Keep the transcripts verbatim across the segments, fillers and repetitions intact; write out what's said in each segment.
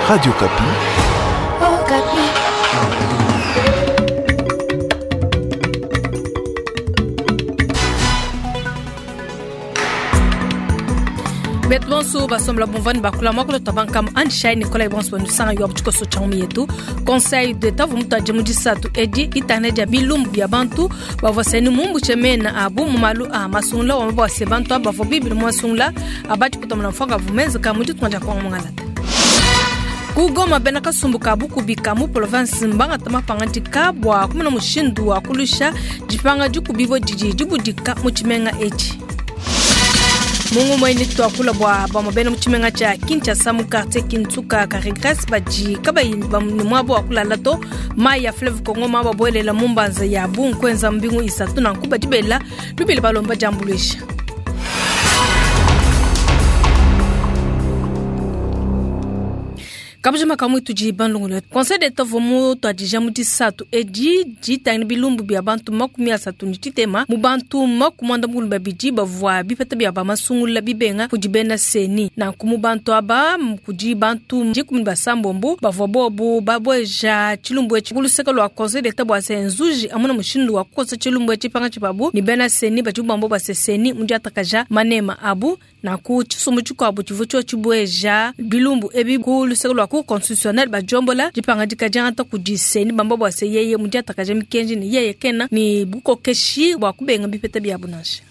Radio Okapi. Okapi. Betu bonso basombola bumvani bakula mwakolo tabankam andishai Nicolas bonso nusanga yo tshikoso tsha yetu Conseil d'État vumutaje mudisatu edi itane dia bilumbu bia bantu bavua seni mumbu chemena abu mumalu a masungula wa mabwa bantu abavua bibili masungula abati kutamana mfanga vumeza ka mudi twanja kwa mungalata kugoma bena kasumbuka bukubika mu province mbanga tamapangadika bwa kumuna mushindu wa kulusha dipanga dikubibo didi dibudika mu tshimenga etshi. Mungu mwene twakula bwa bamabena mu tshimenga tsha Kinshasa mu quartier Kinsuka ka regresse badi kabayi ni mwabo wa kulala to mai ya fleuve Congo ma babolela mu mbanza ya bunkwenza mbingu isatu na nkuba dibela lubili balomba jambulwisha. Kabujima kamwe tuji bandungulu. Conseil d'État vomu twadija mu disatu edi ditangila bilumbu bia bantu makumi asatu ni tshitema mu bantu makumi mukulu babidi bavua bipeta bia bamasungula bibenga kudi bena seni nanku mu bantu aba kudi bantu dikumi basambombo bavua bobu babweja tshilumbu etshi kuluseka lua Conseil d'État bua se nzuji amuna mushindu wa kukosa tshilumbu etshi panga tshibabu ni bena seni badi bambo base seni mu diatakaja manema abu nanku tshisumbu tshikuabu tshivua tshio tshibweja bilumbu ebi kuluseka lua constitutionnel bajombola dipangadika diangata kudi seni bamba bua se yeye mu diatakaja mikenji ni yeye kena ni bukokeshi bua kubenga bipeta bia bunansha.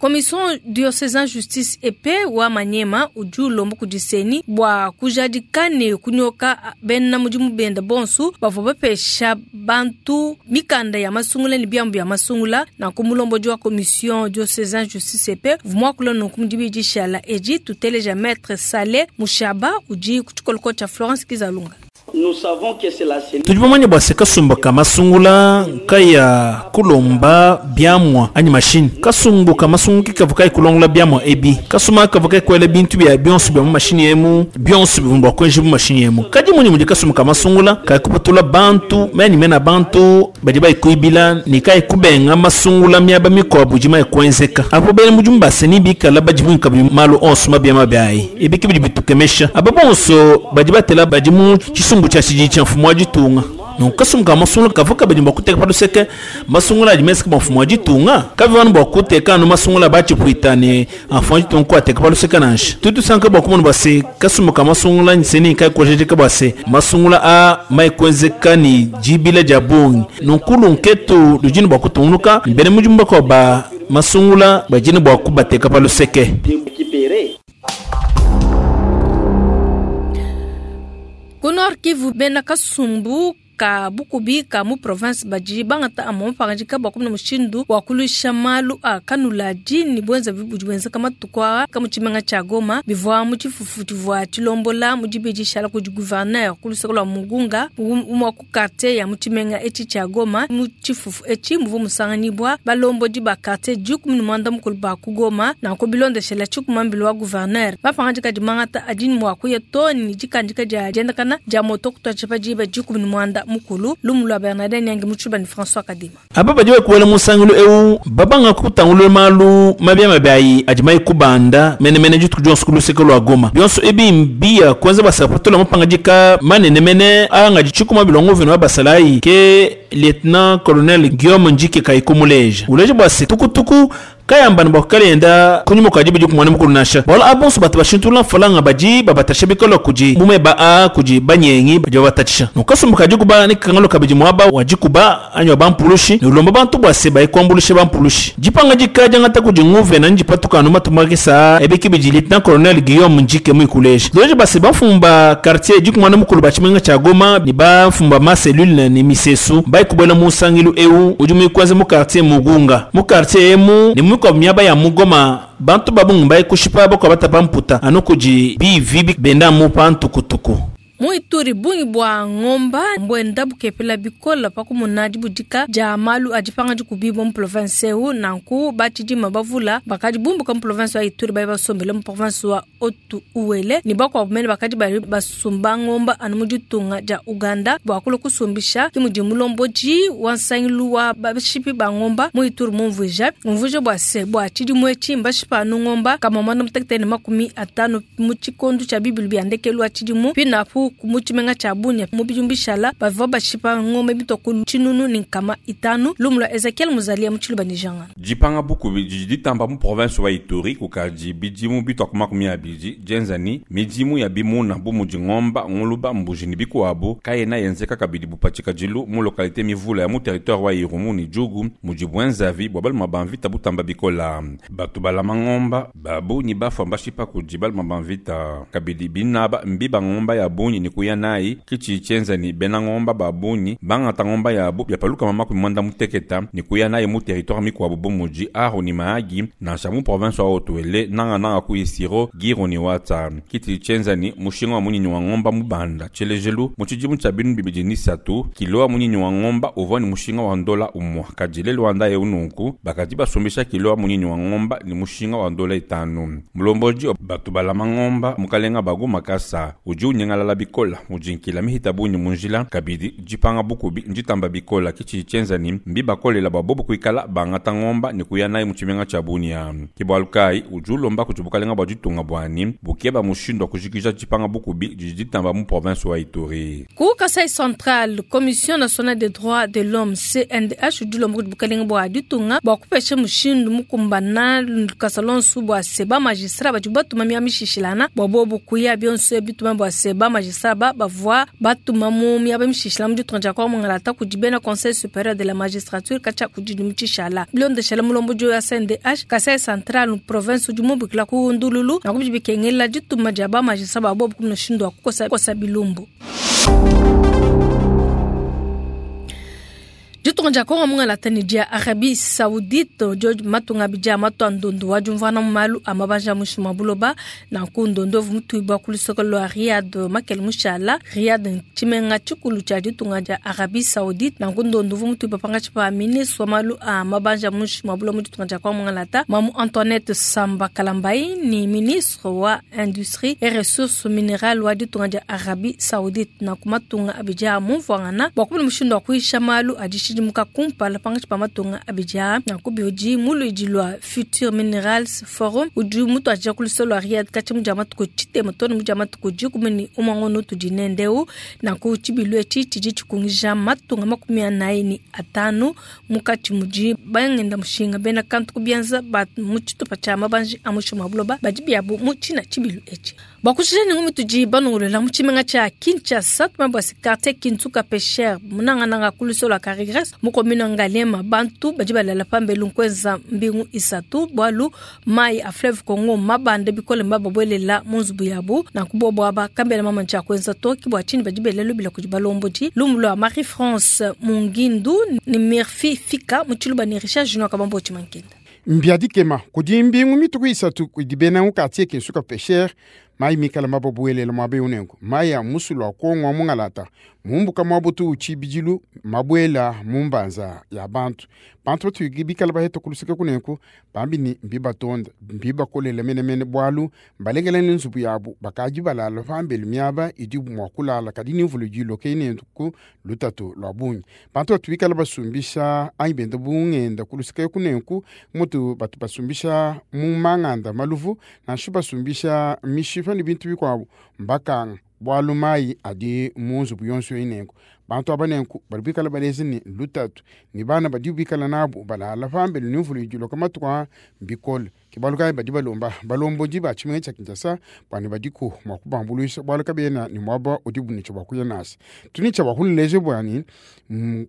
Commission diocésaine justice et paix wa Manyema udi ulomba kudi seni bua kujadika ne kunyoka bena mudimu benda bonsu bavua bapesha bantu mikanda ya masungula ne biambu bia masungula na kumulomboji wa commission diocésaine justice et paix vumwakula nunku mudibi dishala edi tuteleja maître Saleh Mushaba udi ku tshikoloko tsha Florence Kizalunga. Tudi bamanye bua se kasumbu ka masungula kaya kulomba biamwa anyi mashini kasumbu ka masungu kikavu kai kulongola biamwa ebi kasuma kavu kai kwela bintu bia bionso bia mu mashini emu bionso bivumba kwenje mu mashini emu kadi muni mudi kasumbu ka masungula kai kupatula bantu meni mena bantu badi bai kuibila ni kai kubenga masungula miaba mikobu jima kwenzeka apo bene mujumba seni bikala badi bunka malu onso mabia mabiai ebi kibidi bitukemesha aba bonso badi batela badi mu chisumbu cha chiji cha mfumo wa ditunga donc kasumbu ka masungula kavuka badi bua kuteka paluseke masungula adi meseke mfumo wa ditunga kavivanu bua kuteka anu masungula batshipuita ne mfumo wa ditunga kuateka paluseke nansha tutu sanka bua kumona bua se kasumbu ka masungula nseni kai kuojejeka bua se masungula a maikwenzeka ni dibila dia bungi nunkulu nketu lujini bua kutungunuka mbene mujumba kwa ba masungula bajini bua kubateka paluseke. Ku Nord Kivu bena kasumbu ka bukubi ka mu province badi bangata amon pangadika bua kumuna mushindu wa kulusha malu a kanuladi ni bwenza bibudi bwenza kama tukwa ka mu tshimenga tsha Goma bivua mu tshifufu tshivua tshilombola mu dibidi shala kudi gouverneur kuluseka lua Mugunga umwa ku quartier ya mu tshimenga etshi tsha Goma mu tshifufu etshi muvua musanganyibua balombodi ba quartier dikumi ne muanda mukulu ba ku Goma nanku bilondeshela tshikumambilo wa gouverneur bapangadika dimangata adi mua kuya to ni dikandika dia diendakana dia moto kutua tshipa diba dikumi ne muanda mukulu lumulwa Bernardin Nyangi muchuba ni François Kadima. Aba badi bakuwela musangilu eu babanga kutangulula malu mabia mabiayi adi mai kubanda mene mene dituku dionso ku luseke lua Goma bionso ebi mbia kwanza basapatula mapangadika manene mene anga ditshikuma bilongo vino basalayi ke lieutenant colonel Guillaume Njike kaikumuleja uleja bua se tukutuku kayamba bua kalenda kunyuma kwa jibu kumwana mukulu nasha wala abonso batu bashintula falanga baji babatasha bikolo kuji mume ba a kuji banyengi baji babatasha nokasumbuka jikuba ni kangalo kabiji mwaba wajikuba anyo bampulushi nulomba bantu bwa se bayikwambulushe bampulushi jipanga jikaja ngata kuji nguve na njipatuka no matumagisa ebiki biji lieutenant colonel Guillaume Njike mwikuleje loje base bafumba quartier jikumwana mukulu bachimenga cha Goma ni bafumba ma cellule ni misesu bayikubwela musangilu eu udi mwikwanze mu quartier Mugunga mu quartier emu ni kwa miaba ya mugoma bantu babungu bayi kushipa bako batapa mputa anu kuji bivi benda mu pantukutuku. Mu Ituri bungi bua ngomba mbwenda bukepela bikola pakumuna dibudika dia malu adipanga dikubibo mu province eu nanku batshidima bavula bakadi bumbuka mu province wa Ituri bayi basombele mu province wa Otu Uele ni bakuabu mene bakadi bali basumba ngomba anu mu ditunga dia Uganda bua kula kusumbisha ki mudi mulomboji wa nsangilu wa bashipi ba ngomba mu Ituri mumvuija mumvuija bua se bua tshidimu etshi mbashipa anu ngomba kama mwana mutekete ne makumi atanu mu tshikondu tshia bibili bia ndekelu wa tshidimu pinapu Nanku mu tshimenga tshia Bunia mu bidimu bishala bavua bashipa ngombe mitue ku tshinunu ne nkama itanu. Lumu lua Ezekiel Muzalia mu Tshiluba ne Jangana. Dipanga bukubi didi ditamba mu province wa Ituri kukadi bidimu bitua ku makumi abidi dienza ni midimu ya bimuna bu mudi ngomba, nguluba, mbuji ne bikuabu kayena yenzeka kabidi bupatshikadilu mu localité mivula ya mu territoire wa Irumu ne Djugu mudi bwenzavi bua baluma ba mvita butamba bikola. Batu balama ngomba babunyi bafua mbashipa kudi baluma ba mvita kabidi binaba mbiba ngomba ya bunyi ne kuya nayi kitshi tshienza ni bena ngomba babunyi bangata ngomba yabu byapaluka makumi mwanda muteketa ne kuya nayi mu territoire mikuabu bu mudi Aru ni Mahagi nansha mu province wa Haut-Uele nanga nanga ku Isiro Giro ni Watsa. Kitshi tshienza ni mushinga wa munyinyi wa ngomba mubanda tshielejelu mu tshidimu tshia binu bibidi ni satu kilo wa munyinyi wa ngomba uvua ni mushinga wa ndola umwa kadi lelu wanda eu nunku bakadi basumbisha kilo wa munyinyi wa ngomba ni mushinga wa ndola itanu. Mulomboji batu balama ngomba mukalenga bagu makasa udi unyengalala bikola mujinkila mihita bunyi munjila kabidi jipanga bukubi njitamba bikola kitshi tshienza ni mbibakolela babobo kuikala bangata ngomba ni kuya nayi mu tshimenga tshia Bunia. Kibwalukai udi ulomba kuti bukalenga bua ditunga buani bukeba mushindu wa kujikija jipanga bukubi didi ditamba mu province wa Ituri. Ku Kasai Central, Commission nationale des droits de l'homme C N D H udi ulomba kuti bukalenga bua ditunga bua kupesha mushindu mukumbana lukasa lonso bua se ba magistrat badi batuma miaba mishishilana bua bobu kuya bionso bituma bua se ba magistrat ba bavua batuma mu miaba mishishilana mu ditunga dia Kongo mungalata kudi bena Conseil supérieur de la magistrature katshia ku didimu tshishala. Bilondeshela mulombodi wa C N D H Kasai Central province udi mubikila ku ndululu na kubidi bikengela dituma dia ba magistrat ba bobu ku mushindu wa kukosa kosa bilumbu. Ditunga dia Kongo mungalata ne dia Arabie Saoudite George Matunga bija matwa ndondo wa jumvana malu amabanja mushima buloba na ku ndondo mutuibwa ku lusoko lwa Riyad makel mushala Riyad tshimenga tshikulu tshia ditunga dia Arabie Saoudite na ku ndondo mutuibwa pangatshi pa ministre wa malu amabanja mushima buloba mu ditunga dia Kongo mungalata Mamu Antoinette Samba Kalambayi ni ministre wa industrie et ressources minérales wa ditunga dia Arabie Saoudite na ku matunga abija mumvwangana bwa kubula mushindu wa kuisha malu adishi muka kumpala pangatshi pa matunga abija na kubiudi muluidi lwa Future Minerals Forum udi mutu aja ku lusolo lwa Riyad katshi mudia matuku tshitema to ne mudia matuku dikumi ne umue tudi nendeu na ku tshibilu etshi tshidi tshikungija matunga makumi anayi ne atanu mukatshi mudi bangenda mushinga bena kantu ku bianza ba mu tshitupa tshia mabanji a mushinga wa buloba badi biabu mu tshina tshibilu etshi. Bua kushija ne ngumi tudi banongolola mu tshimenga tshia Kinshasa tuma bua se quartier Kinsuka Pêcheur munangananga ku lusolo lwa Carigres mu commune Ngaliema bantu badi balala pambelu nkweza mbingu isatu bwalu mai a fleuve Congo mabande bikole mbababuelela mu nzubu yabu na kubobo aba kambela mama tshia kwenza toki bua tshini badi belela lubila kudi balombodi. Lumu lwa Marie France Mungindu ni Murphy Fika mu Tshiluba ne Richard Junior Kabambo Tshimankenda. Mbiadikema kudi mbingu mituku isatu kudi bena mu quartier Kinsuka Pêcheur mai mikala mababuelele mwabe unengo mai ya musulu wa Kongo mungalata mumbuka mwabutu uchibijilu mabwela mumbanza ya bantu bantu batu bikala baheta kulusika kunenko bambi ni mbibatonda mbibakolela menemene bwalu mbalengela ni nzubu yabu bakaji balala pambelu miaba idi mwa kulala kadi ni mvulu jilo keinenku lutatu lwa bunyi bantu batu bikala basumbisha anyi benda bungenda kulusika kunenku mutu batu basumbisha mu manganda maluvu nanshu basumbisha mishipa ni bintu bikwabu mbakanga bwalu mai adi mu nzubu yonso inenko bantu abanenku bali bikala balezi ni lutatu ni bana badi bikala nabu balala pambelu ni mvulu jilo kamatuka mbikole kibaluka badi balomba balomboji ba tshimenga tshia Kinshasa bani badiku mwa kubambuluisha bwalu kabena ni mwaba udi bunicho bakuya nasi tuni tsha bakuleleje bwani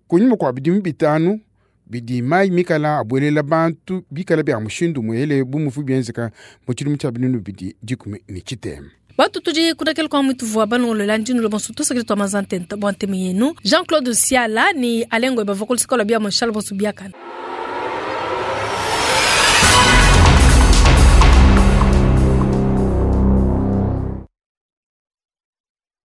kunyuma kwa bidimu bitanu bidi mai mikala abuelela bantu bikala bya mushindu mwele bumufu bienzeka mu tshidimu tshia binunu bidi dikumi ne tshitema. Batu tudi kudakela kwa mwitu vua banongolola ndinu lo bonso tosakili twa mazantenta bua ntemi yenu Jean-Claude Siala ni Alengo bavua kulusikola bia Monchal bonso biakana.